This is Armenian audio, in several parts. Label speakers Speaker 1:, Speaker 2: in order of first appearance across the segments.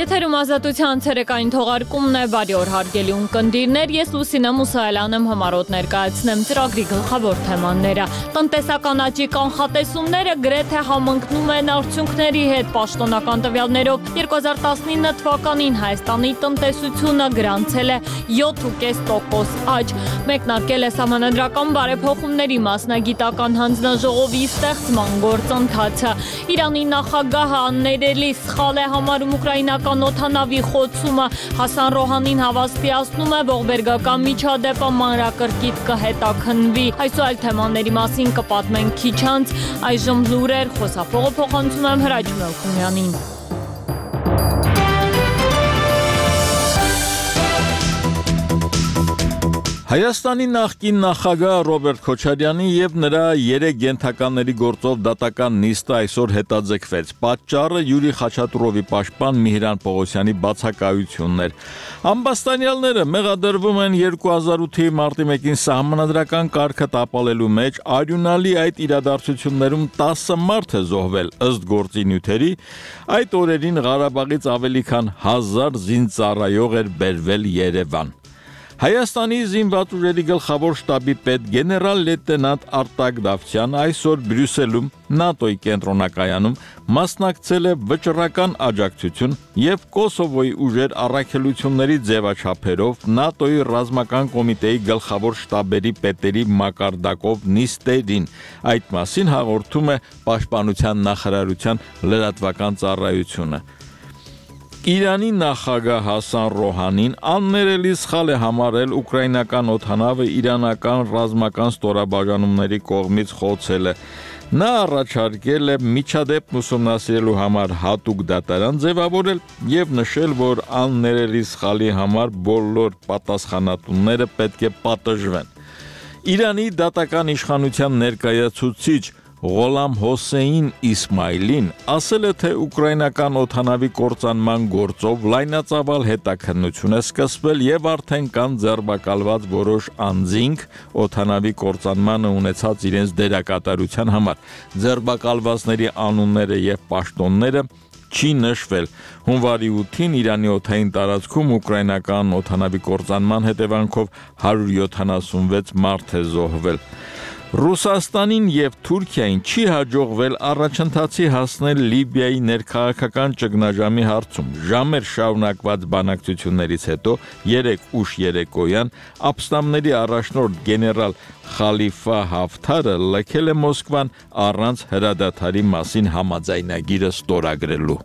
Speaker 1: Եթերում ազատության ցերեկային թողարկումն է, բարի օր հարգելի ունկնդիրներ, ես Լուսինե Մուսայելյան եմ համառոտ ներկայացնեմ ծրագրի գլխավոր թեմաները։ Տնտեսական աճի կանխատեսումները գրեթե համընկնում են արդյունքների հետ, պաշտոնական տվյալներով 2019 թվականին Հայաստանի տնտեսությունը գրանցել է 7.5% աճ, մեկնարկել է սահմանադրական բարեփոխումների մասնագիտական հանձնաժողովի ստեղծման գործընթացը, Իրանի նախագահը աններելի սխալ է համարում ուկրաինական օդանավի խոցումը, Հասան Ռոհանին հավաստիացնում է ողբերգական միջադեպը մանրակրկիտ կհետաքննվի, այս ու այլ թեմաների մասին կպատմենք քիչ անց, այժմ լուրեր, խոսափողը փոխանցում եմ Հրաչ Մելքումյանին։
Speaker 2: Հայաստանի նախկին նախագահ Ռոբերտ Քոչարյանի եւ նրա 3 ենթականների գործով դատական նիստը այսօր հետաձգվեց։ Պատճառը Յուրի Խաչատուրովի պաշտպան Միհրան Պողոսյանի բացակայությունն էր։ Ամբաստանյալները մեղադրվում են 2008-ի մարտի 1-ին սահմանադրական կարգը տապալելու մեջ, արյունալի այդ իրադարձություններում 10 մարդ է զոհվել, ըստ գործի նյութերի, այդ օրերին Ղարաբաղից ավելի քան 1000 զինծառայող էր բերվել Երևան։ Հայաստանի զինված ուժերի գլխավոր շտաբի պետ գեներալ լեյտենանտ Արտակ Դավթյանը այսօր Բրյուսելում ՆԱՏՕ-ի կենտրոնակայանում մասնակցել է վճռական աջակցություն եւ Կոսովոյի ուժեր առաքելությունների ձևաչափերով ՆԱՏՕ-ի ռազմական կոմիտեի գլխավոր շտաբերի պետերի մակարդակով նիստերին։ Այդ մասին հաղորդում է Պաշտպանության նախարարության լրատվական ծառայությունը։ Իրանի նախագահ Հասան Ռոհանին աններելի սխալ է համարել ուկրաինական օդանավը իրանական ռազմական ստորաբաժանումների կողմից խոցելը։ Նա առաջարկել է միջադեպ ուսումնասիրելու համար հատուկ դատարան ձևավորել եւ նշել, որ աններելի սխալի համար բոլոր պատասխանատուները պետք է պատժվեն։ Իրանի դատական իշխանության ներկայացուցիչ Ղոլամ Հոսեյն Իսմայլին ասել է, թե ուկրաինական օդանավի կործանման գործով լայնածավալ հետաքննություն է սկսվել եւ արդեն կան ձեռբակալված որոշ անձինք օդանավի կործանմանը ունեցած իրենց դերակատարության համար։ Ձեռբակալվածների անունները եւ պաշտոնները չի նշվել։ Հունվարի 8-ին Իրանի օդային տարածքում ուկրաինական օդանավի կործանման հետևանքով 176 մարդ է զոհվել։ Ռուսաստանին եւ Թուրքիային չի հաջողվել առաջընթացի հասնել Լիբիայի ներքաղաքական ճգնաժամի հարցում։ Ժամեր շարունակված բանակցություններից հետո 3 ուշ երեկոյան ապստամբների առաջնորդ գեներալ Խալիֆա Հաֆթարը լքել է Մոսկվան առանց հրադադարի մասին համաձայնագիրը ստորագրելու։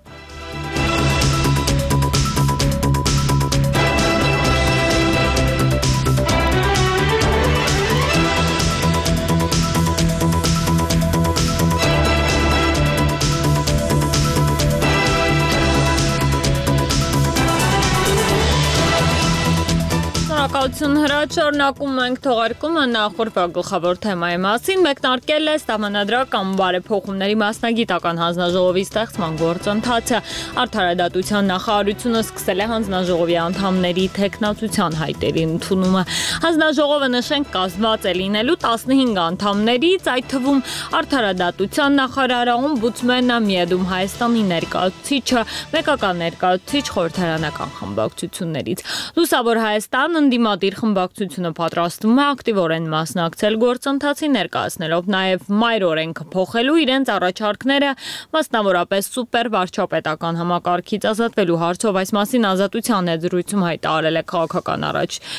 Speaker 1: Հրաչ շարունակում ենք թողարկումը նախորդ գլխավոր թեմայի մասին, մեկնարկել է սահմանադրական բարեփոխումների մասնագիտական հանձնաժողովի ստեղծման գործընթացը, Արդարադատության նախարարությունը սկսել է հանձնաժողովի անդամների թեկնածության հայտերի ընդունումը։ Հանձնաժողովը նշենք կազմված է լինելու 15 անդամներից, այդ թվում Արդարադատության նախարարը, օմբուդսմենը, Միեդում Հայաստանի ներկայացուցիչը, մեկական ներկայացուցիչ խորհրդարանական խմբակցություններից։ Լուսավոր Հայաստան ընդդիմադիր խմբակցությունը պատրաստվում է ակտիվորեն մասնակցել գործընթացին, ներկայացնելով նաև մայր օրենքը փոխելու իրենց առաջարկները, մասնավորապես սուպեր վարչապետական համակարգից ազատվելու հարցով։ Այս մասին Ազատության զրույցում հայտարարել է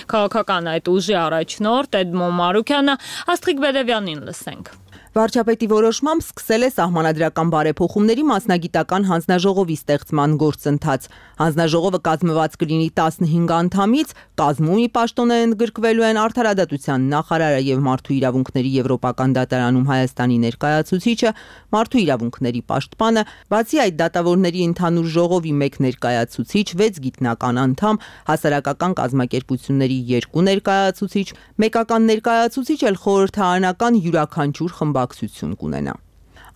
Speaker 1: քաղաքական այդ ուժի առաջնորդ Էդմոն Մարուքյանը, Աստղիկ Բեդևյանին լսենք։
Speaker 3: Վարչապետի որոշմամբ սկսել է սահմանադրական բարեփոխումների մասնագիտական հանձնաժողովի ստեղծման գործընթաց։ Հանձնաժողովը կազմված կլինի 15 անդամից, կազմում ի պաշտոնը ընդգրկվելու են Արդարադատության նախարարը եւ Մարդու իրավունքների Եվրոպական դատարանում Հայաստանի ներկայացուցիչը, Մարդու իրավունքների պաշտպանը, բացի այդ դատավորների ընդհանուր ժողովի 1 ներկայացուցիչ, 6 գիտնական անդամ, հասարակական կազմակերպությունների 2 ներկայացուցիչ, մեկական ներկայացուցիչ էլ խորհրդարանական յուրաքանչյուր խմբակցություն կունենա։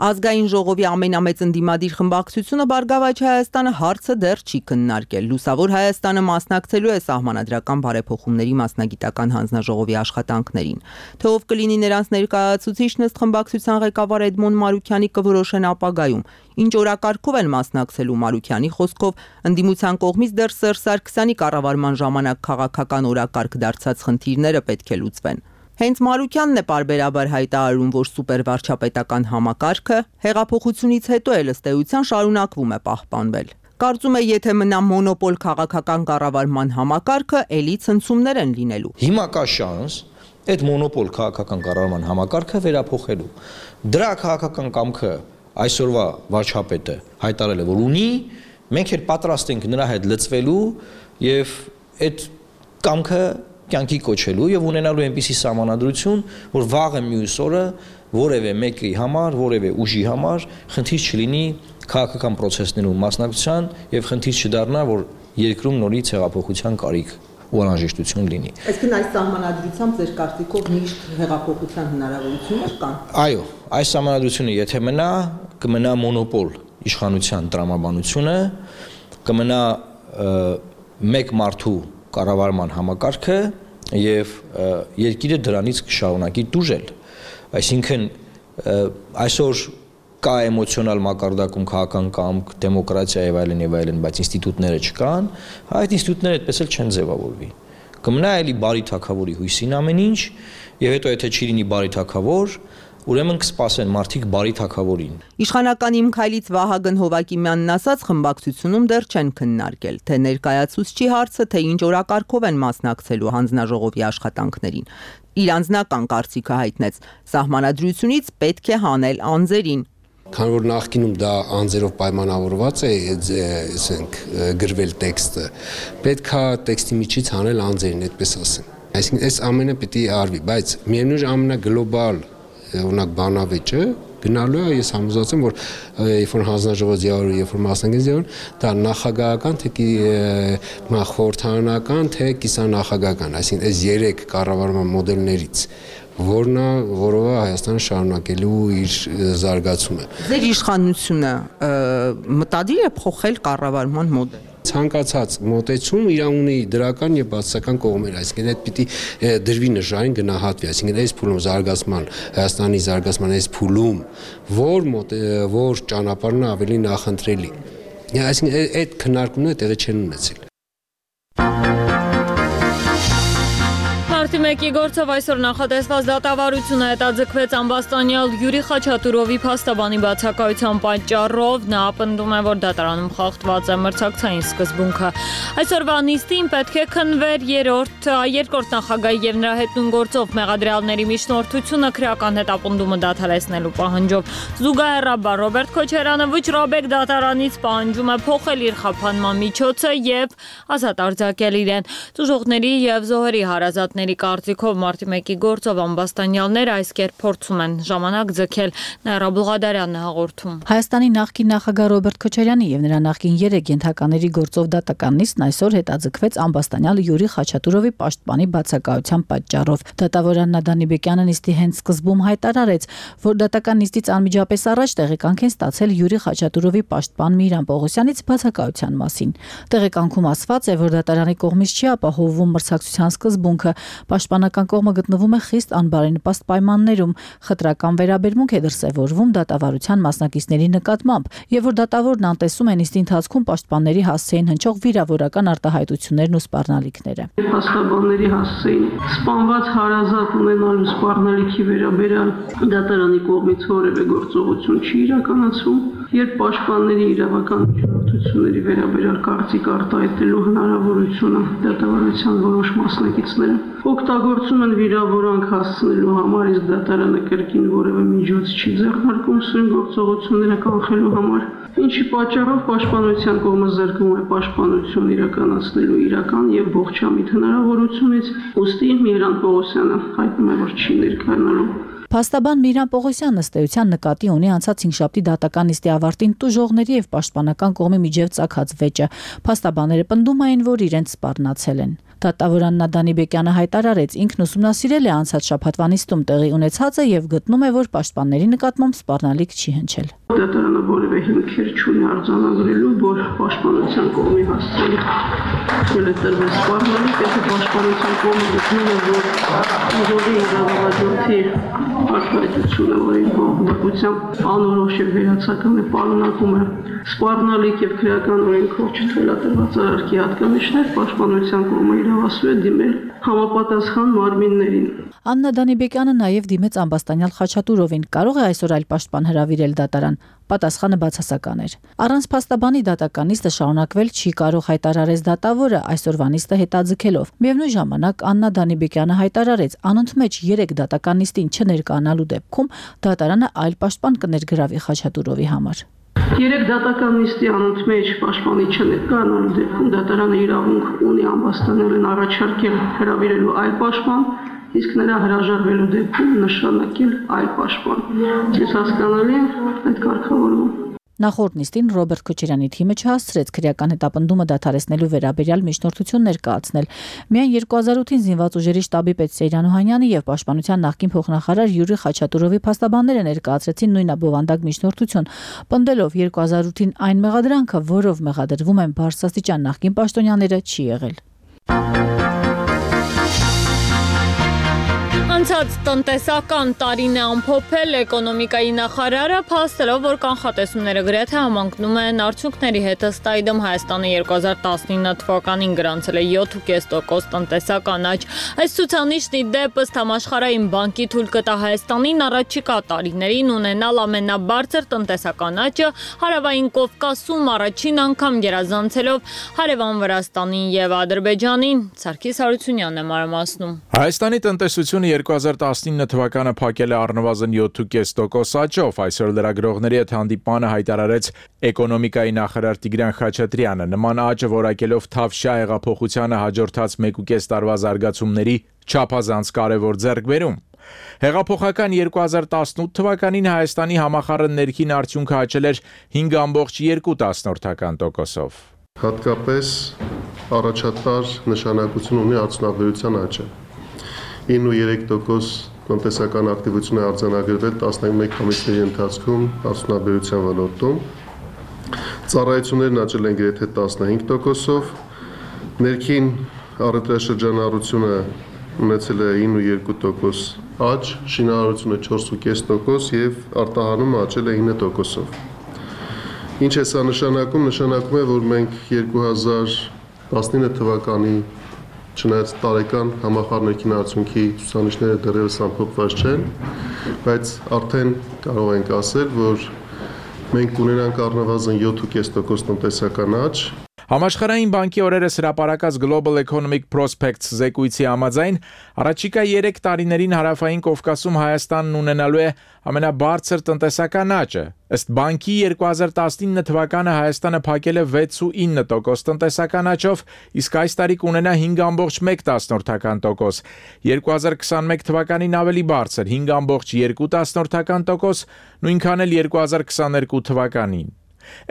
Speaker 3: Ազգային ժողովի ամենամեծ ընդդիմադիր խմբակցությունը Բարգավաճ Հայաստանը հարցը դեռ չի քննարկել։ Լուսավոր Հայաստանը մասնակցելու է Սահմանադրական բարեփոխումների մասնագիտական հանձնաժողովի աշխատանքներին։ Թե ով կլինի նրանց ներկայացուցիչն ըստ խմբակցության ղեկավար Էդմոն Մարուքյանի կորոշեն ապագայում։ Ինչ օրակարգով են մասնակցելու Մարուքյանի խոսքով ընդդիմության կողմից դեռ Սերժ Սարգսյանի կառավարման ժամանակ քաղաքական օրակարգ դարձած խնդիրները պետք է լուծվեն։ Հենց Մարուքյանն է պարբերաբար հայտարարում, որ սուպերվարչապետական համակարգը հեղափոխությունից հետո էլ ըստ էության շարունակվում է պահպանվել։ Կարծում է, եթե մնա մոնոպոլ քաղաքական կառավարման համակարգը, էլի ցնցումներ են լինելու։
Speaker 4: Հիմա կա շանս այդ մոնոպոլ քաղաքական կառավարման համակարգը վերափոխելու։ Դրա քաղաքական կամքը այսօրվա վարչապետը հայտարարել է, որ ունի, մենք էլ պատրաստ ենք նրա հետ լծվելու եւ այդ կամքը կյանքի կոչելու եւ ունենալու այնպիսի սահմանադրություն, որ վաղը մյուս օրը որևէ մեկի համար, որևէ ուժի համար խնդիր չլինի քաղաքական process-ներում մասնակցության եւ խնդիր չդառնա, որ երկրում նորից հեղափոխության կարիք ու անհրաժեշտություն լինի։
Speaker 3: Այսինքն այս սահմանադրությամբ ձեր կարծիքով միշտ հեղափոխության հնարավորություններ կան։
Speaker 4: Այո, այս սահմանադրությունը եթե մնա, կմնա մոնոպոլ իշխանության տրամաբանությունը, կմնա մեկ մարդու կառավարման համակարգը եւ երկիրը դրանից կշարունակի տուժել։ Այսինքն այսօր կա էմոցիոնալ մակարդակում քաղաքական կամք, դեմոկրատիա եւ այլն, բայց ինստիտուտները չկան, այդ ինստիտուտները այդպես էլ չեն ձևավորվի։ Կմնա էլի բարի թագավորի հույսին ամեն ինչ, եւ հետո եթե չի լինի բարի թագավոր, ուրեմն կսպասեն մարդիկ բարի թագավորին։
Speaker 3: Իշխանական Իմ քայլից Վահագն Հովակիմյանն ասաց, խմբակցությունում դեռ չեն քննարկել, թե ներկայացուցչի հարցը, թե ինչ օրակարգով են մասնակցելու հանձնաժողովի աշխատանքներին։ Իր անձնական կարծիքը հայտնեց. սահմանադրությունից պետք է հանել անձերին։
Speaker 5: Քանի որ նախկինում դա անձերով պայմանավորված է, ասենք գրվել տեքստը, պետք է տեքստի միջից հանել անձերին, այդպես ասեմ։ Այսինքն այս ամենը պիտի արվի, բայց միևնույն ամենագլոբալ օրինակ բանավեճը գնալու է, ես համոզված եմ, որ երբ որ հանձնաժողովը ձևավորվի, երբ որ մասնակից ձևավորվի, դա նախագահական, թե խորհրդարանական, թե կիսանախագահական, այսինքն այս 3 կառավարման մոդելներից որն է, որով է Հայաստանը շարունակելու իր զարգացումը։
Speaker 3: Ձեր իշխանությունը մտադիր է փոխել կառավարման մոդելը։
Speaker 5: Ցանկացած մոտեցում իր ունի դրական եւ բացասական կողմեր, այսինքն այդ պիտի դրվի նժարին գնահատվի, այսինքն այս փուլում զարգացման, Հայաստանի զարգացման այս փուլում որ ճանապարհն ավելի նախընտրելի։ Այսինքն այդ քննարկումները տեղի չեն ունեցել։
Speaker 1: Մարտի 1-ի գործով այսօր նախատեսված դատավարությունը հետաձգվեց ամբաստանյալ Յուրի Խաչատուրովի փաստաբանի բացակայության պատճառով։ Նա պնդում է, որ դատարանում խախտված է մրցակցային սկզբունքը։ Այսօրվա նիստին պետք է քննվեր երկրորդ նախագահի եւ նրա հետ նույն գործով մեղադրյալների միջնորդությունը քրեական հետապնդումը դադարեցնելու պահանջով։ Զուգահեռաբար Ռոբերտ Քոչարյանը վճռաբեկ դատարանից պահանջում է փոխել իր խափանման միջոցը եւ ազատ արձակել իրեն։ Դժողների եւ զոհերի հարազատների կարծիքով Մարտի 1-ի գործով ամբաստանյալները այս կերպ փորձում են ժամանակ ձգել։ Նաիրա Բուղադարյանն է հաղորդում։
Speaker 6: Հայաստանի նախկին նախագահ Ռոբերտ Քոչարյանի եւ նրա նախկին 3 ենթակաների գործով դատական նիստն այսօր հետաձգվեց ամբաստանյալ Յուրի Խաչատուրովի պաշտպանի բացակայության պատճառով։ Դատավոր Աննա Դանիբեկյանը նիստի հենց սկզբում հայտարարեց, որ դատական նիստից անմիջապես առաջ տեղեկանք են ստացել Յուրի Խաչատուրովի պաշտպան Միհրան Պողոսյանից բացակայության մասին։ Տեղեկանքում ասված է, որ դատարանի կողմից չի ապահովվում մրցակցության սկզբունքը։ Պաշտպանական կողմը գտնվում է խիստ անբարենպաստ պայմաններում, խտրական վերաբերմունք է դրսևորվում դատավարության մասնակիցների նկատմամբ, եւ որ դատավորն անտեսում է նիստի ընթացքում պաշտպանների հասցեին հնչող վիրավորական արտահայտություններն ու սպառնալիքները։
Speaker 7: Փաստաբանների հասցեին սպանված հարազատ ունենալու սպառնալիքի վերաբերյալ դատարանի կողմից որևէ գործողություն չի իրականացվում, երբ պաշտպանների իրավական միջնորդությունների վերաբերյալ կարծիք արտահայտելու հնարավորությունը դատավարության որոշ մասնակիցները օգտագործում են վիրավորանք հասցնելու համար, իսկ դատարանը կրկին որևէ միջոց չի ձեռնարկում սույն գործողությունները կանխելու համար, ինչի պատճառով պաշտպանության կողմը զրկվում է պաշտպանություն իրականացնելու իրական եւ ողջամիտ հնարավորությունից, ուստի Միհրան Պողոսյանը հայտնում է, որ չի ներկայանալու։
Speaker 6: Փաստաբան Միրան Պողոսյանն ըստ էության նկատի ունի անցած հինգշաբթի դատական նիստի ավարտին տուժողների եւ պաշտպանական կողմի միջև ծագած վեճը։ Փաստաբանները պնդում էին, որ իրենց սպառնացել են։ Դատավոր Աննա Դանիբեկյանը հայտարարեց, ինքն ուսումնասիրել է անցած շաբաթվա նիստում տեղի ունեցածը եւ գտնում է, որ պաշտպանների նկատմամբ սպառնալիք չի հնչել։
Speaker 7: Դատարանը որևէ հիմքեր չունի արձանագրելու, որ պաշտպանության կողմի հասցրել է տրվել սպառնալիք, եթե պաշտպանության կողմը գտնում է, որ ուժովի իրավահաջորդի արտահայտությունը, որի բողոքությամբ անորոշ եւ վերացական է պարունակում է սպառնալիք եւ քրեական օրենքով չթույլատրված արարքի հատկանիշներ, պաշտպանության կողմը իրավասու է դիմել համապատասխան մարմիններին։
Speaker 6: Աննա Դանիբեկյանը նաև դիմեց ամբաստանյալ Խաչատուրովին, կարող է այսօր այլ պաշտպան հրավիրել դատարան։ Պատասխանը բացասական էր։ Առանց փաստաբանի դատական նիստը շարունակվել չի կարող, հայտարարեց դատավորը, այսօրվա նիստը հետաձգելով։ Միևնույն ժամանակ Աննա Դանիբեկյանը հայտարարեց, անընդմեջ 3 դատական նիստին չներկայանալու դեպքում դատարանը այլ պաշտպան կներգրավի Խաչատուրովի համար։
Speaker 7: 3 դատական նիստի անընդմեջ պաշտպանի չներկայանալու դեպքում դատարանը իրավունք ունի ամբաստանյալին առաջարկել հրավիրելու այլ պաշտպան, իսկ նրա հրաժարվելու դեպքում նշանակել այլ պաշտպան։ Ես հասկանալի այդ կարգավորումը։
Speaker 6: Նախորդ նիստին Ռոբերտ Քոչարյանի թիմը չհասցրեց քրեական հետապնդումը դադարեցնելու վերաբերյալ միջնորդություն ներկայացնել։ Միայն 2008-ին զինված ուժերի շտաբի պետ Սեյրան Օհանյանի եւ պաշտպանության նախկին փոխնախարար Յուրի Խաչատուրովի փաստաբանները ներկայացրեցին նույնաբովանդակ միջնորդություն, պնդելով 2008-ին այն մեղադրանքը, որով մեղադրվում են բարձրաստիճան նախկին պաշտոնյաները, չի եղել։
Speaker 1: Անցած տնտեսական տարին է ամփոփել էկոնոմիկայի նախարարը, փաստելով, որ կանխատեսումները գրեթե համընկնում են արդյունքների հետ։ Ըստ այդմ Հայաստանը 2019 թվականին գրանցել է 7.5% տնտեսական աճ։ Այս ցուցանիշն ի դեպ ըստ Համաշխարհային բանկի թույլ կտա Հայաստանին առաջիկա տարիներին ունենալ ամենաբարձր տնտեսական աճը, Հարավային Կովկասում առաջին անգամ գերազանցելով հարևան Վրաստանին եւ Ադրբեջանին։ Սարգիս Հարությունյանն է մանրամասնում։
Speaker 2: Հայաստանի տնտեսությունը 2019 թվականը փակել է առնվազն 7.5% աճով, այսօր լրագրողների հետ հանդիպանը հայտարարեց էկոնոմիկայի նախարար Տիգրան Խաչատրյանը, նման աճը որակելով Թավշյա հեղափոխությանը հաջորդած 1.5 տարվա զարգացումների չափազանց կարևոր ձեռքբերում։ Հեղափոխական 2018 թվականին Հայաստանի համախառն ներքին արդյունքը աճել էր 5.2%-ով։
Speaker 8: Հատկապես առաջատար նշանակություն ունի արդյունաբերության աճը։ 9.3% տնտեսական ակտիվություն է արձանագրվել 11 ամիսների ընթացքում արդյունաբերության ոլորտում։ Ծառայություններն աճել են գրեթե 15%-ով, ներքին առևտրաշրջանառությունը ունեցել է 9.2% աճ, շինարարությունը 4.5% եւ արտահանումը աճել է 9%-ով։ Ինչ է սա նշանակում։ Նշանակում է, որ մենք 2019 թվականի չնայած տարեկան համախառն ներքին արդյունքի ցուցանիշները դեռևս ամփոփված չեն, բայց արդեն կարող ենք ասել, որ մենք կունենանք առնվազն 7.5% տնտեսական աճ։
Speaker 2: Համաշխարհային բանկի օրերս հրապարակած Global Economic Prospects զեկույցի համաձայն առաջիկա 3 տարիներին Հարավային Կովկասում Հայաստանն ունենալու է ամենաբարձր տնտեսական աճը։ Ըստ բանկի 2019 թվականը Հայաստանը փակել է 6.9% տնտեսական աճով, իսկ այս տարի կունենա 5.1%, 2021 թվականին ավելի բարձր 5.2%, նույնքան էլ 2022 թվականին։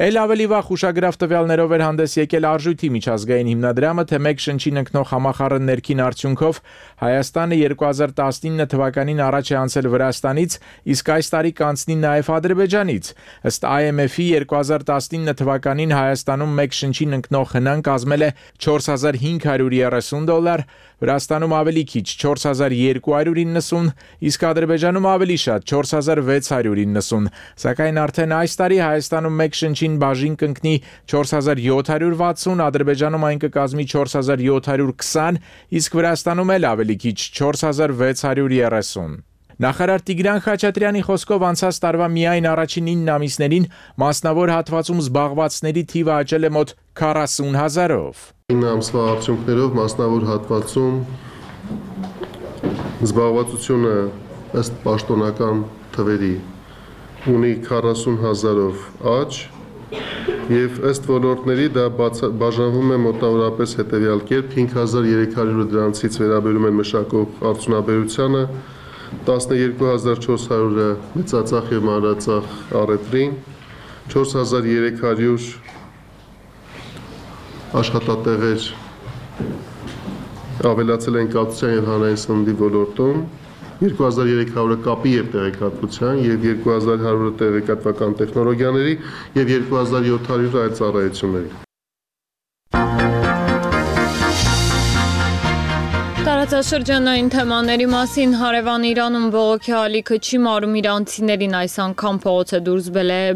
Speaker 2: Էլ ավելի վաղ ուշագրավ տվյալներով էր հանդես եկել Արժույթի միջազգային հիմնադրամը, թե մեկ շնչին ընկնող համախառն ներքին արդյունքով Հայաստանը 2019 թվականին առաջ է անցել Վրաստանից, իսկ այս տարի կանցնի նաև Ադրբեջանից։ Ըստ IMF-ի 2019 թվականին Հայաստանում մեկ շնչին ընկնող հնան կազմել է $4,530, Վրաստանում ավելի քիչ $4,290, իսկ Ադրբեջանում ավելի շատ $4,690, սակայն արդեն այս տարի Հայաստանում մեկ շնչին բաժին կընկնի 4,760, Ադրբեջանում այն կկազմի 4,720, իսկ Վրաստանում էլ ավելի քիչ 4,630։ Նախարար Տիգրան Խաչատրյանի խոսքով անցած տարվա միայն առաջին 9 ամիսներին մասնավոր հատվածում զբաղվածների թիվը աճել է մոտ 40,000-ով։
Speaker 8: 9 ամսվա արդյունքներով մասնավոր հատվածում զբաղվածությունը ըստ պաշտոնական թվերի ունի 40,000-ով աճ եւ ըստ ոլորտների դա բաժանվում է մոտավորապես հետեւյալ կերպ 5,300-ը դրանցից վերաբերում են մշակող արդյունաբերությանը, 12400-ը մեծածախ եւ մանրածախ առևտրին, 4300 աշխատատեղեր ավելացել են կացության եւ հանրային սննդի ոլորտում, 2300-ը կապի եւ տեղեկատվության եւ 2100-ը տեղեկատվական տեխնոլոգիաների եւ 2700-ը այլ ծառայությունների։
Speaker 1: Տարածաշրջանային թեմաների մասին հարևան Իրանում բողոքի ալիքը չի մարում իրանցիներին այս անգամ փողոց է դուրս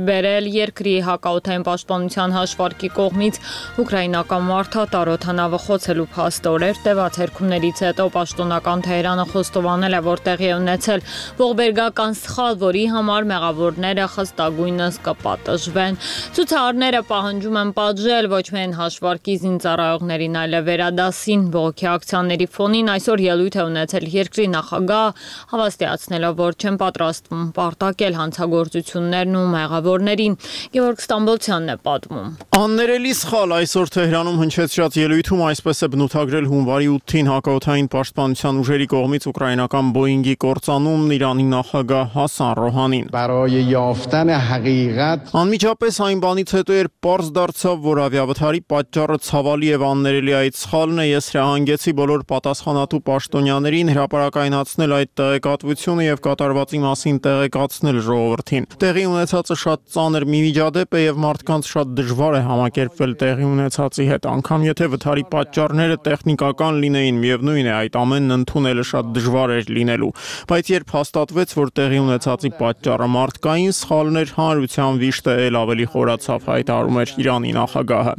Speaker 1: բերել երկրի հակաօդային պաշտպանության հաշվարկի կողմից ուկրաինական մարդատար օդանավը խոցելու փաստորեր տևած հերքումներից հետո պաշտոնական Թեհրանը խոստովանել է, որ տեղի է ունեցել ողբերգական սխալ, որի համար մեղավորները խստագույնս կպատժվեն։ Ցուցարարները պահանջում են պատժել ոչ միայն հաշվարկի զինծառայողներին, այլև վերադասին բողոքի ակցիաների ֆոնին այսօր ելույթ է ունեցել երկրի նախագահ, հավաստիացնելով, որ չեն պատրաստվում պարտակել հանցագործություններն ու մեղավորներին։ Գևորգ Ստամբոլցյանն է պատմում։
Speaker 9: Աններելի սխալ այսօր Թեհրանում հնչեցրած ելույթում այսպես է բնութագրել հունվարի 8-ին հակաօդային պաշտպանության ուժերի կողմից ուկրաինական Boeing-ի կործանումն Իրանի նախագահ Հասան Ռոհանին։ Անմիջապես այն բանից հետո երբ պարզ դարձավ, որ ավիավթարի պատճառը ցավալի եւ աններելի այդ սխալն է, ես հրահանգեցի բոլոր պատասխանատու պաշտոնյաներին հրապարակայնացնել այդ տեղեկատվությունը եւ կատարվածի մասին տեղեկացնել ժողովրդին։ Տեղի ունեցածը շատ ծանր մի միջադեպ է եւ մարդկանց շատ դժվար է համակերպվել տեղի ունեցածի հետ, անգամ եթե վթարի պատճառները տեխնիկական լինեին, միևնույն է այդ ամենն ընդունելը շատ դժվար էր լինելու, բայց երբ հաստատվեց, որ տեղի ունեցածի պատճառը մարդկային սխալն էր, հանրության վիշտը էլ ավելի խորացավ, հայտարարում էր Իրանի նախագահը։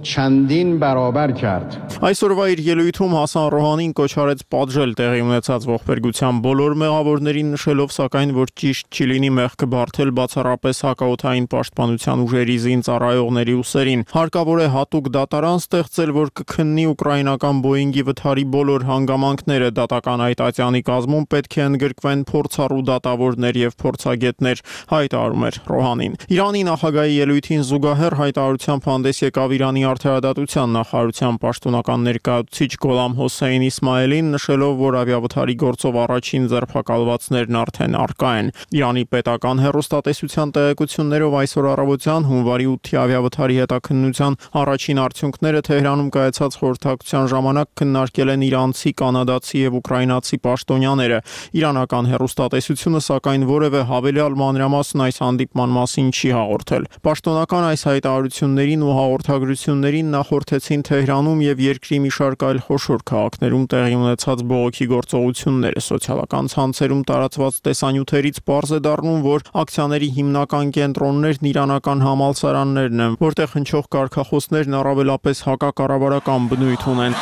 Speaker 9: چندین برابر کرد. Այսօրվա իր ելույթում Հասան Ռոհանին կոչ արեց պատժել տեղի ունեցած ողբերգության բոլոր մեղավորներին, նշելով սակայն, որ ճիշտ չի լինի մեղքը բարթել բացառապես հակաօդային պաշտպանության ուժերի զինծառայողների ուսերին։ Հարկավոր է հատուկ դատարան ստեղծել, որ կքննի ուկրաինական Boeing-ի վթարի բոլոր հանգամանքները, դատական այտացյանի կազմում պետք է ընդգրկվեն փորձառու դատավորներ եւ փորձագետներ, հայտարարում էր Ռոհանին։ Իրանի նախագահի ելույթին զուգահեռ հայտարարությամբ հանդես եկավ Իրանի Արդարադատության նախարարության պաշտոնական ներկայացուցիչ Գոլամ Հոսեյն Իսմայելին, նշելով, որ ավիավթարի գործով առաջին ձերբակալվածներն արդեն առկա են։ Իրանի պետական հեռուստատեսության տեղեկություններով այսօր առավոտյան հունվարի 8-ի ավիավթարի հետաքննության առաջին արդյունքները Թեհրանում կայացած խորհրդակցության ժամանակ քննարկել են իրանցի, կանադացի եւ ուկրաինացի պաշտոնյաները։ Իրանական հեռուստատեսությունը սակայն որևէ հավելյալ մանրամասն այս հանդիպման մասին չի հաղորդել։ Պաշտոնական այս հայտարարություններին ու հաղորդագրություններին նախորդեցին Թեհրանում եւ երկրի մի շարք այլ խոշոր քաղաքներում տեղի ունեցած բողոքի գործողությունները։ Սոցիալական ցանցերում տարածված տեսանյութերից պարզ է դառնում, որ ակցիաների հիմնական կենտրոններն իրանական համալսարաններն են, որտեղ հնչող կարգախոսներն առավելապես հակակառավարական բնույթ ունեն։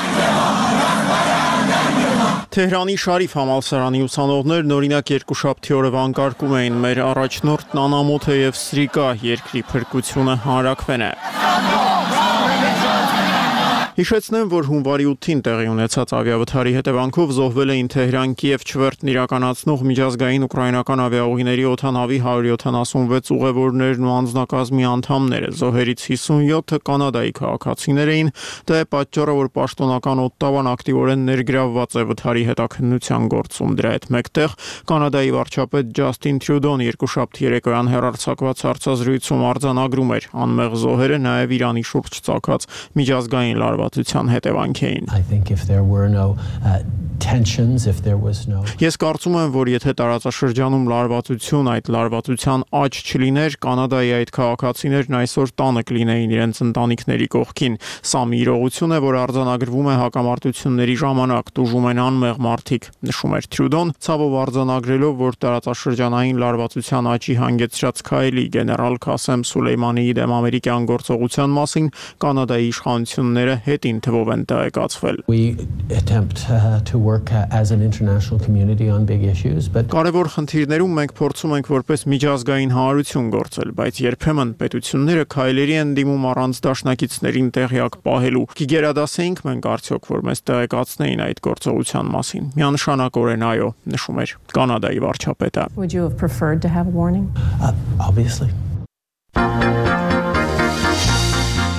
Speaker 9: Թեհրանի Շարիֆ համալսարանի ուսանողներն օրինակ երկուշաբթի օրը վանկարկում էին մեր առաջնորդն անամոթ է եւ սրիկա, երկրի փրկությունը հանրաքվեն է։ Հիշեցնեմ, որ հունվարի 8-ին տեղի ունեցած ավիավթարի հետևանքով զոհվել էին Թեհրան-Կիև չվերթն իրականացնող միջազգային ուկրաինական ավիաուղիների օդանավի 176 ուղևորներն ու անձնակազմի անդամները, զոհերից 57-ը կանադայի քաղաքացիներ էին, դա է պատճառը, որ պաշտոնական օդտավան ակտիվորեն ներգրավված է վթարի հետաքննության գործում։ Դրա հետ մեկտեղ Կանադայի վարչապետ Ջասթին Տրյուդոն երկուշաբթի երեկոյան հեռարձակված հարցազրույցում արձանագրում էր, անմեղ զոհերը նաև Իրանի շուրջ ծագած միջազգային լարվածության հետևանք էին։ Ես կարծում եմ, որ եթե տարածաշրջանում լարվածություն, այդ լարվածության աճ չլիներ, Կանադայի այդ քաղաքացիներն այսօր տանը կլինեին իրենց ընտանիքների կողքին։ Սա մի իրողություն է, որ արձանագրվում է հակամարտությունների ժամանակ, տուժում են անմեղ մարդիկ, նշում էր Տրյուդոն, ցավով արձանագրելով, որ տարածաշրջանային լարվածության աճի հանգեցրած քայլի գեներալ Քասեմ Սուլեյմանիի դեմ ամերիկյան գործողության մասին Կանադայի իշխանությունները հետին թվով են տեղեկացվել։ Կարևոր խնդիրներում մենք փորձում ենք որպես միջազգային հանրություն գործել, բայց երբեմն պետությունները քայլերի են դիմում առանց դաշնակիցներին տեղյակ պահելու։ Կգերադասեինք մենք արդյոք, որ մեզ տեղեկացնեին այդ գործողության մասին։ Միանշանակորեն այո, նշում էր Կանադայի վարչապետը։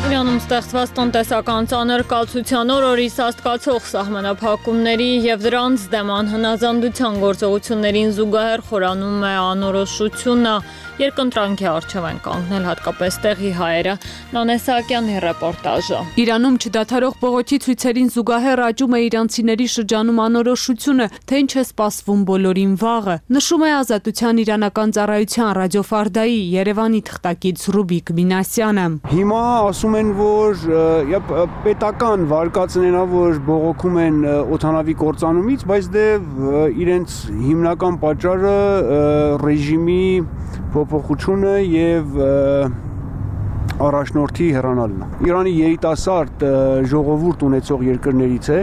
Speaker 1: Իրանում Իրանում ստեղծված տնտեսական ծանրկացության օրորի սաստկացող սահմանափակումների եւ դրանց դեմ անհնազանդության գործողություններին զուգահեռ խորանում է անորոշությունը։ Երկընտրանքի առջև են կանգնել հատկապես տեղի հայերը։ Նանե Սահակյանի ռեպորտաժը։
Speaker 10: Իրանում չդադարող բողոքի ցույցերին զուգահեռ աճում է իրանցիների շրջանում անորոշությունը, թե ինչ է սպասվում բոլորին վաղը։ Նշում է Ազատության իրանական ծառայության ռադիոֆարդայի Երևանի թղթակից Ռուբիկ Մինասյանը։
Speaker 11: Հիմա ասում են, որ պետական վարկածներն ա, որ բողոքում են օդանավի կործանումից, բայց դե իրենց հիմնական պատճառը ռեժիմի փոփոխությունը եւ առաջնորդի հեռանալն է։ Իրանի երիտասարդ ժողովուրդ ունեցող երկրներից է,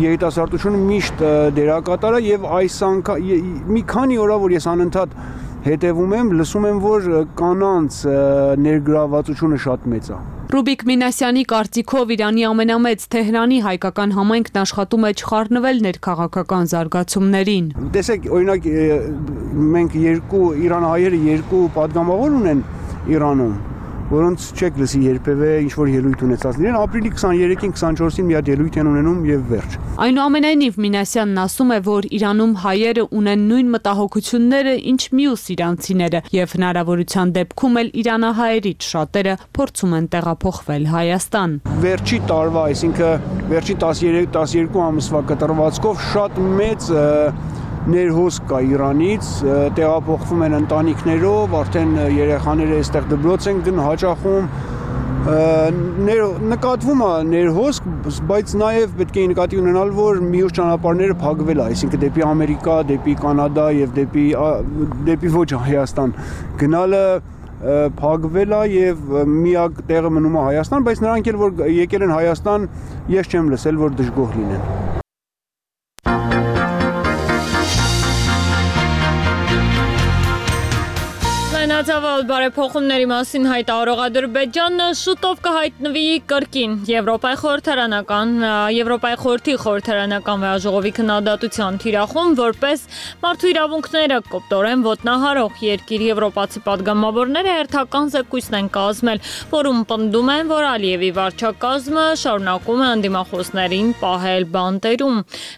Speaker 11: երիտասարդությունը միշտ դերակատար է եւ այս մի քանի օր որ ես անընդհատ հետևում եմ, լսում եմ, որ կանանց ներգրավվածությունը շատ մեծ է։
Speaker 10: Ռուբիկ Մինասյանի կարծիքով Իրանի ամենամեծ Թեհրանի հայկական համայնքն աշխատում է չխառնվել ներքաղաքական զարգացումներին։
Speaker 11: Տեսեք, օրինակ մենք իրանահայերը երկու падգամավոր ունեն Իրանում, որոնց չեք լսի երբևէ ինչ-որ ելույթ ունեցած լինեն, ապրիլի 23-ին, 24-ին մի հատ ելույթ են ունենում եւ վերջ։
Speaker 10: Այնուամենայնիվ Մինասյանն ասում է, որ Իրանում հայերը ունեն նույն մտահոգությունները, ինչ մյուս իրանցիները եւ հնարավորության դեպքում էլ իրանահայերից շատերը փորձում են տեղափոխվել Հայաստան։
Speaker 11: Վերջի տարվա, այսինքն վերջի 13-12 ամսվա կտրվածքով շատ մեծ ներհոսք կա Իրանից, տեղափոխվում են ընտանիքներով, արդեն երեխաները այստեղ դպրոց են հաճախում, նկատվում է ներհոսք, բայց նաև պետք է նկատի ունենալ, որ մյուս ճանապարհները փակվել է, այսինքն դեպի Ամերիկա, դեպի Կանադա եւ դեպի ոչ Հայաստան գնալը փակվել է եւ միակ տեղը մնում է Հայաստան, բայց նրանք էլ որ եկել են Հայաստան, ես չեմ լսել, որ դժգոհ լինեն։
Speaker 1: Լայնածավալ բարեփոխումների մասին հայտարարող Ադրբեջանը շուտով կհայտնվի կրկին Եվրոպայի խորհրդի խորհրդարանական վեհաժողովի քննադատության թիրախում, որպես մարդու իրավունքները կոպտորեն ոտնահարող երկիր եվրոպացի падգամավորները հերթական զեկույցն են կազմել, որում պնդում են, որ Ալիևի վարչակազմը շարունակում է անդիմախոսներին պահել բանտերում։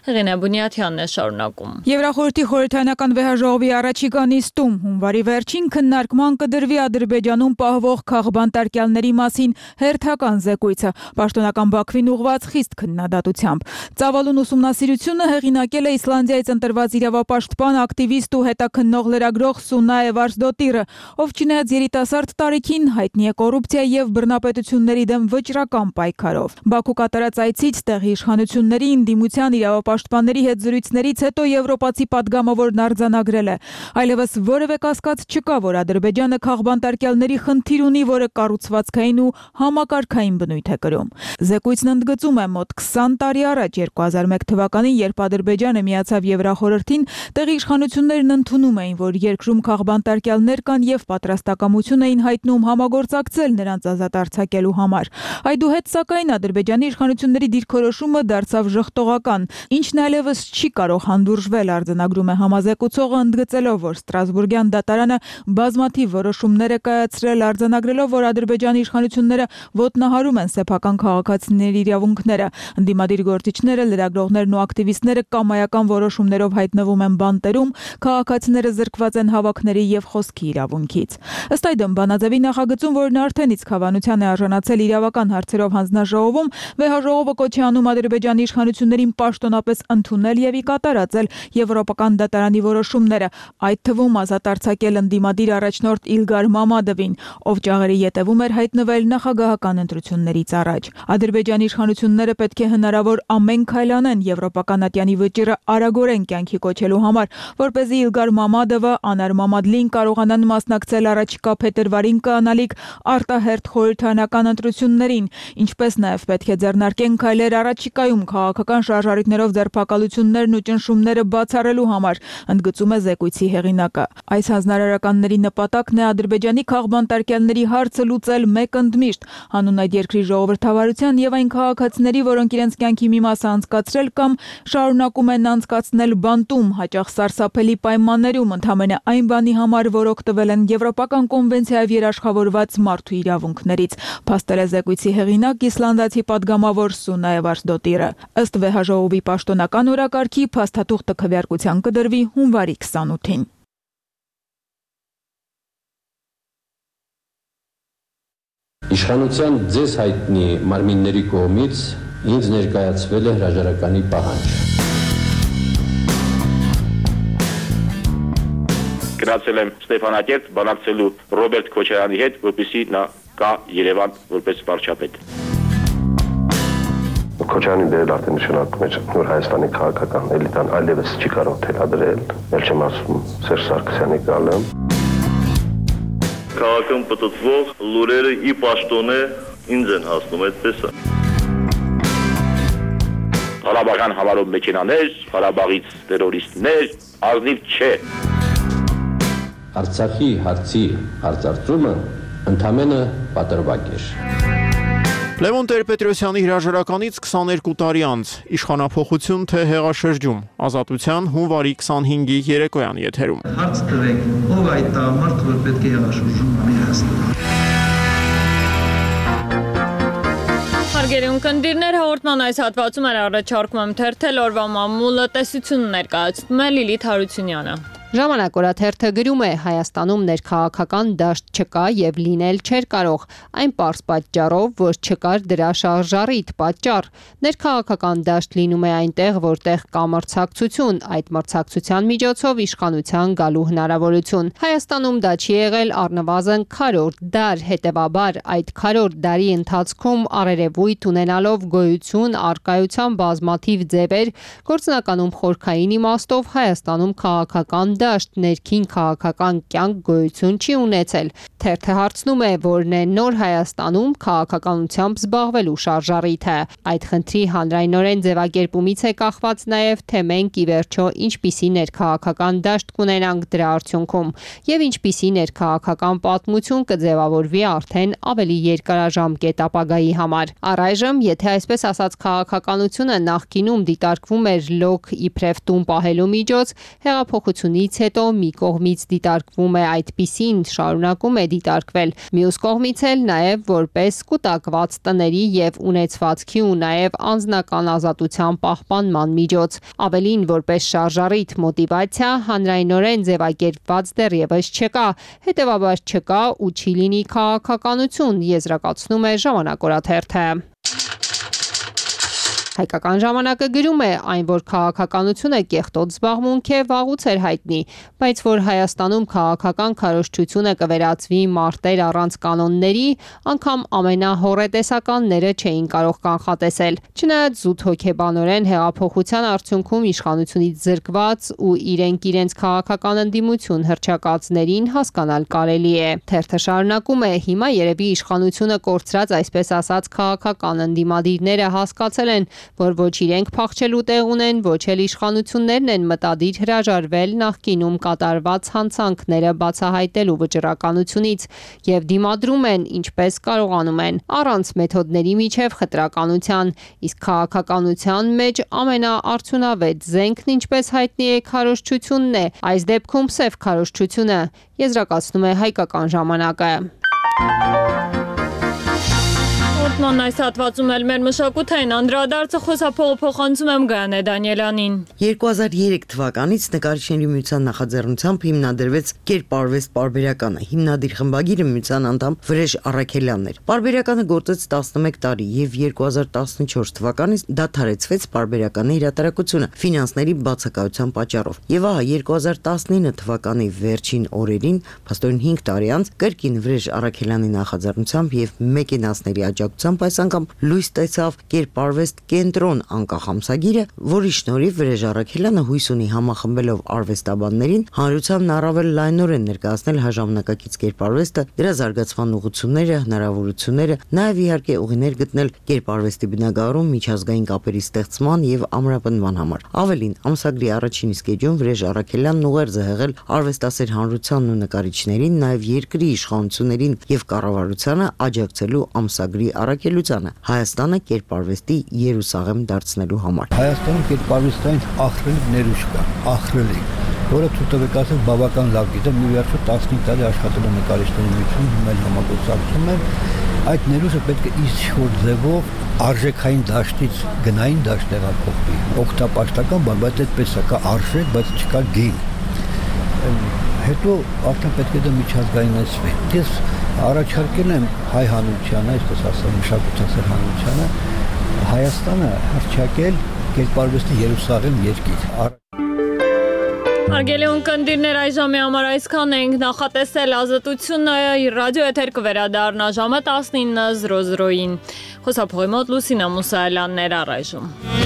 Speaker 1: Հեղինե Բունյաթյանն է շարունակում։
Speaker 12: Եվրախորհրդի խորհրդարանական վեհաժողովի առաջիկա նիստում հունվարի վերջին քննարկման կդրվի Ադրբեջանում պահվող քաղբանտարկյալների մասին հերթական զեկույցը, պաշտոնական Բաքվին ուղղված խիստ քննադատությամբ։ Ծավալուն ուսումնասիրությունը հեղինակել է Իսլանդիայից ընտրված իրավապաշտպան, ակտիվիստ ու հետաքննող լրագրող Սունայե Վարսդոտիրը, ով չնայած երիտասարդ տարիքին հայտնի է կոռուպցիա եւ բռնապետությունների դեմ վճռական պայքարով։ Բաքու կատարած այցից տեղի իշխանությունների ընդդիմության իրավապաշտպանների հետ զրույցներից հետո եվրոպացի падգամավորն արձանագրել է. այլևս որևէ կասկած չկա, որ Ադրբեջանը քաղբանտարկյալների խնդիր ունի, որը կառուցվածքային ու համակարգային բնույթ է կրում։ Զեկույցն ընդգծում է մոտ 20 տարի առաջ 2001 թվականին, երբ Ադրբեջանը միացավ Եվրախորհրդին, տեղի իշխանություններն ընդունում էին, որ երկրում քաղբանտարկյալներ կան եւ պատրաստակամություն էին հայտնում համագործակցել նրանց ազատ արձակելու համար։ Այդուհետ, սակայն, Ադրբեջանի իշխանությունների դիրքորոշումը դարձավ ժխտողական, ինչն այլևս չի կարող հանդուրժվել, արձանագրում է համազեկուցողը, ընդգծելով, որ Ստրասբուրգյան դատարանը բազմաթիվ որոշումներ է կայացրել, արձանագրելով, որ Ադրբեջանի իշխանությունները ոտնահարում են սեփական քաղաքացիների իրավունքները։ Ընդդիմադիր գործիչները, լրագրողներն ու ակտիվիստները կամայական որոշումներով հայտնվում են բանտերում, քաղաքացիները զրկված են հավաքների եւ խոսքի իրավունքից։ Ըստ այդմ, բանաձևի նախագծում, որն արդեն իսկ հավանության է արժանացել իրավական հարցերով հանձնաժողովում, վեհաժողովը կոչ է անում Ադրբեջանի իշխանություններին պաշտոնապես ընդունել եւ ի կատար ածել եվրոպական դատարանի որոշումները, այդ թվում ազատ արձակել ընդդիմադիր առաջնորդ Իլգար Մամադովին, ով ճաղերի ետևում էր հայտնվել նախագահական ընտրություններից առաջ։ Ադրբեջանի իշխանությունները պետք է հնարավոր ամեն քայլ անեն եվրոպական ատյանի վճիռը արագորեն կյանքի կոչելու համար, որպեսզի Իլգար Մամադովը, Անար Մամադլին կարողանան մասնակցել առաջիկա փետրվարին կայանալիք արտահերթ խորհրդարանական ընտրություններին, ինչպես նաև պետք է ձեռնարկեն քայլեր առաջիկայում քաղաքական շարժառիթներով ձերբակալություններն ու ճնշումները բացառելու համար, ընդգծում է զեկույցի հեղինակը։ Այս հանձնարարականների նպատակն է Ադրբեջանի քաղբանտարկյալների հարցը լուծել մեկ ընդմիշտ։ Հանուն այդ երկրի ժողովրդավարության եւ այն քաղաքացիների, որոնք իրենց կյանքի մի մասը անցկացրել կամ շարունակում են անցկացնել բանտում, հաճախ սարսափելի պայմաններում, ընդամենը այն բանի համար, որ օգտվել են Եվրոպական կոնվենցիայով երաշխավորված մարդու իրավունքներից, փաստել է զեկույցի հեղինակ իսլանդացի պատգամավոր Սունա Էվարսդոտիրը։ Ըստ վեհաժողովի պաշտոնական օրակարգի փաստաթուղթը քվեարկության կդրվի հունվարի 28-ին։
Speaker 13: Իշխանության ձեզ հայտնի մարմինների կողմից ինձ ներկայացվել է հրաժարականի պահանջ։
Speaker 14: Գնացել եմ Ստեփանակերտ բանակցելու Ռոբերտ Քոչարյանի հետ, որպեսզի նա գա Երևան որպես վարչապետ։
Speaker 15: Քոչարյանի դերը արդեն նշանակում է, որ Հայաստանի քաղաքական էլիտան այլևս չի կարող թելադրել, ել չեմ ասում Սերժ Սարգսյանի գալը։
Speaker 16: Քաղաքում պտտվող լուրերը ի պաշտոնե ինձ են հասնում, այդպես է։
Speaker 14: Ղարաբաղյան համարով մեքենաներ, Ղարաբաղից տերորիստներ, ազնիվ չէ։
Speaker 13: Արցախի հարցի հարցարծումը ընդամենը պատրվակ էր։
Speaker 9: Լևոն Տեր-Պետրոսյանի հրաժարականից 22 տարի անց իշխանափոխություն թե հեղաշրջում, Ազատության հունվարի 25-ի երեկոյան եթերում։
Speaker 17: Հարց տվեք, ով այդ տղամարդ, որ պետք է հեղաշրջում անի Հայաստանում։
Speaker 1: Հարգելի ունկնդիրներ, հաղորդման այս հատվածում առաջարկում եմ թերթել օրվա մամուլը տեսություն ներկայացնում է Լիլիթ Հարությունյանը։
Speaker 18: Ժամանակ օրաթերթը գրում է Հայաստանում ներքաղաքական դաշտ չկա եւ լինել չէր կարող, այն պարզ պատճառով, որ չկար դրա շարժառիթ պատճառ։ Ներքաղաքական դաշտ լինում է այնտեղ, որտեղ կա մրցակցություն, այդ մրցակցության միջոցով իշխանության գալու հնարավորություն։ Հայաստանում դա չի եղել առնվազն քառորդ դար, հետեւաբար այդ քառորդ դարի ընթացքում առերևույթ ունենալով գոյություն առկայության բազմաթիվ ձևեր, գործնականում խորքային իմաստով Հայաստանում քաղաքական դաշտ ներքին քաղաքական կյանք գոյություն չի ունեցել։ Թերթը հարցնում է, որն է նոր Հայաստանում քաղաքականությամբ զբաղվելու շարժառիթը։ Այդ խնդրի հանրայնորեն ձևակերպումից է կախված նաև, թե մենք ի վերջո ինչպիսի ներքաղաքական դաշտ կունենանք դրա արդյունքում եւ ինչպիսի ներքաղաքական պատմություն կձևավորվի արդեն ավելի երկարաժամկետ ապագայի համար։ Առայժմ, եթե այսպես ասած քաղաքականությունը նախկինում դիտարկվում էր լոկ իբրև տուն պահելու միջոց, հեղափոխությունից հետո մի կողմից դիտարկվում է այդպիսին, շարունակում է դիտարկվել, մյուս կողմից էլ նաև որպես կուտակված տների եւ ունեցվածքի ու նաև անձնական ազատության պահպանման միջոց, ավելին որպես շարժառիթ մոտիվացիա հանրայնորեն ձևակերպված դեռևս չկա, հետեւաբար չկա ու չի լինի քաղաքականություն, եզրակացնում է Ժամանակ օրաթերթը։ Հայկական ժամանակը գրում է, այն որ քաղաքականությունը կեղտոտ զբաղմունք է, վաղուց էր հայտնի, բայց որ Հայաստանում քաղաքական քարոզչությունը կվերածվի մարտեր առանց կանոնների, անգամ ամենահոռետեսականները չէին կարող կանխատեսել։ Չնայած զուտ հոգեբանորեն հեղափոխության արդյունքում իշխանությունից զրկված ու իրենց քաղաքական ընդդիմություն հռչակածներին հասկանալ կարելի է։ Թերթը շարունակում է, հիմա երևի իշխանությունը կորցրած այսպես ասած քաղաքական ընդդիմադիրները հասկացել են, որ ոչ իրենք փախչելու տեղ ունեն, ոչ էլ իշխանություններն են մտադիր հրաժարվել նախկինում կատարված հանցանքները բացահայտելու վճռականությունից եւ դիմադրում են ինչպես կարողանում են, առանց մեթոդների միջև խտրականության, իսկ քաղաքականության մեջ ամենաարդյունավետ զենքն ինչպես հայտնի է քարոզչությունն է, այս դեպքում սև քարոզչությունը, եզրակացնում է Հայկական ժամանակը։
Speaker 1: Ման այս հատվածում էլ մեր մշակութային անդրադարձը խոսափողը փոխանցում եմ Գայանե Դանիելյանին։
Speaker 19: 2003 թվականից նկարիչների միության նախաձեռնությամբ հիմնադրվեց Կերպարվեստ պարբերականը։ Հիմնադիր խմբագիրը միության անդամ Վրեժ Առաքելյանն էր։ Պարբերականը գործեց 11 տարի եւ 2014 թվականից դադարեցվեց պարբերականի հրատարակությունը ֆինանսների բացակայության պատճառով։ Եվ ահա 2019 թվականի վերջին օրերին, փաստորեն 5 տարի անց, կրկին Վրեժ Առաքելյանի նախաձեռնությամբ եւ մեկենասների աջակցությամբ ուղղությամբ այս անգամ լույս տեսավ Կերպարվեստ կենտրոն անկախ ամսագիրը, որի շնորհիվ Վրեժ Առաքելյանը հույս ունի համախմբելով արվեստաբաններին հանրությանն առավել լայնորեն ներկայացնել հաժամանակակից Կերպարվեստը, դրա զարգացման ուղղությունները, հնարավորությունները, նաև իհարկե ուղիներ գտնել Կերպարվեստի բնագավառում միջազգային կապերի ստեղծման եւ ամրապնդման համար։ Ավելին, ամսագրի առաջին իսկ էջում Վրեժ Առաքելյանն ուղերձ է եղել արվեստասեր հանրությանն ու նկարիչներին, նաև երկրի իշխանություններին եւ կառավարությանը աջակցելու ամսագրի առաքելությանը Հայաստանը Կերպարվեստի Երուսաղեմ դարձնելու համար։
Speaker 20: Հայաստանում Կերպարվեստային ախրելի ներուժ կա, ախրելի, որը ցուցաբերած ասել բավական լավ գիտեմ, մի վերջո 15 տարի աշխատել եմ նկարիչների միությունում, հիմա համագործակցում եմ։ Այդ ներուժը պետք է ինչ-որ ձևով արժեքային դաշտից գնային դաշտ տեղափոխվի։ Օգտապաշտական բան, բայց այդպես է, կա արժեք, բայց չկա գին։ Հետո արդեն պետք է դա միջազգայնացվի։ Ես առաջարկել եմ հայ հանրությանը, այսպես ասեմ, մշակութասեր հանրությանը, Հայաստանը հռչակել Կերպարվեստի Երուսաղեմ երկիր։
Speaker 1: Հարգելի ունկնդիրներ, այժմի համար այսքան ենք, նախատեսել Ազատությունը ռադիո էթեր կվերադառնա ժամը 19:00-ին։ Խոսափողի մոտ Լուսինա Մուսայելյանն էր առայժմ։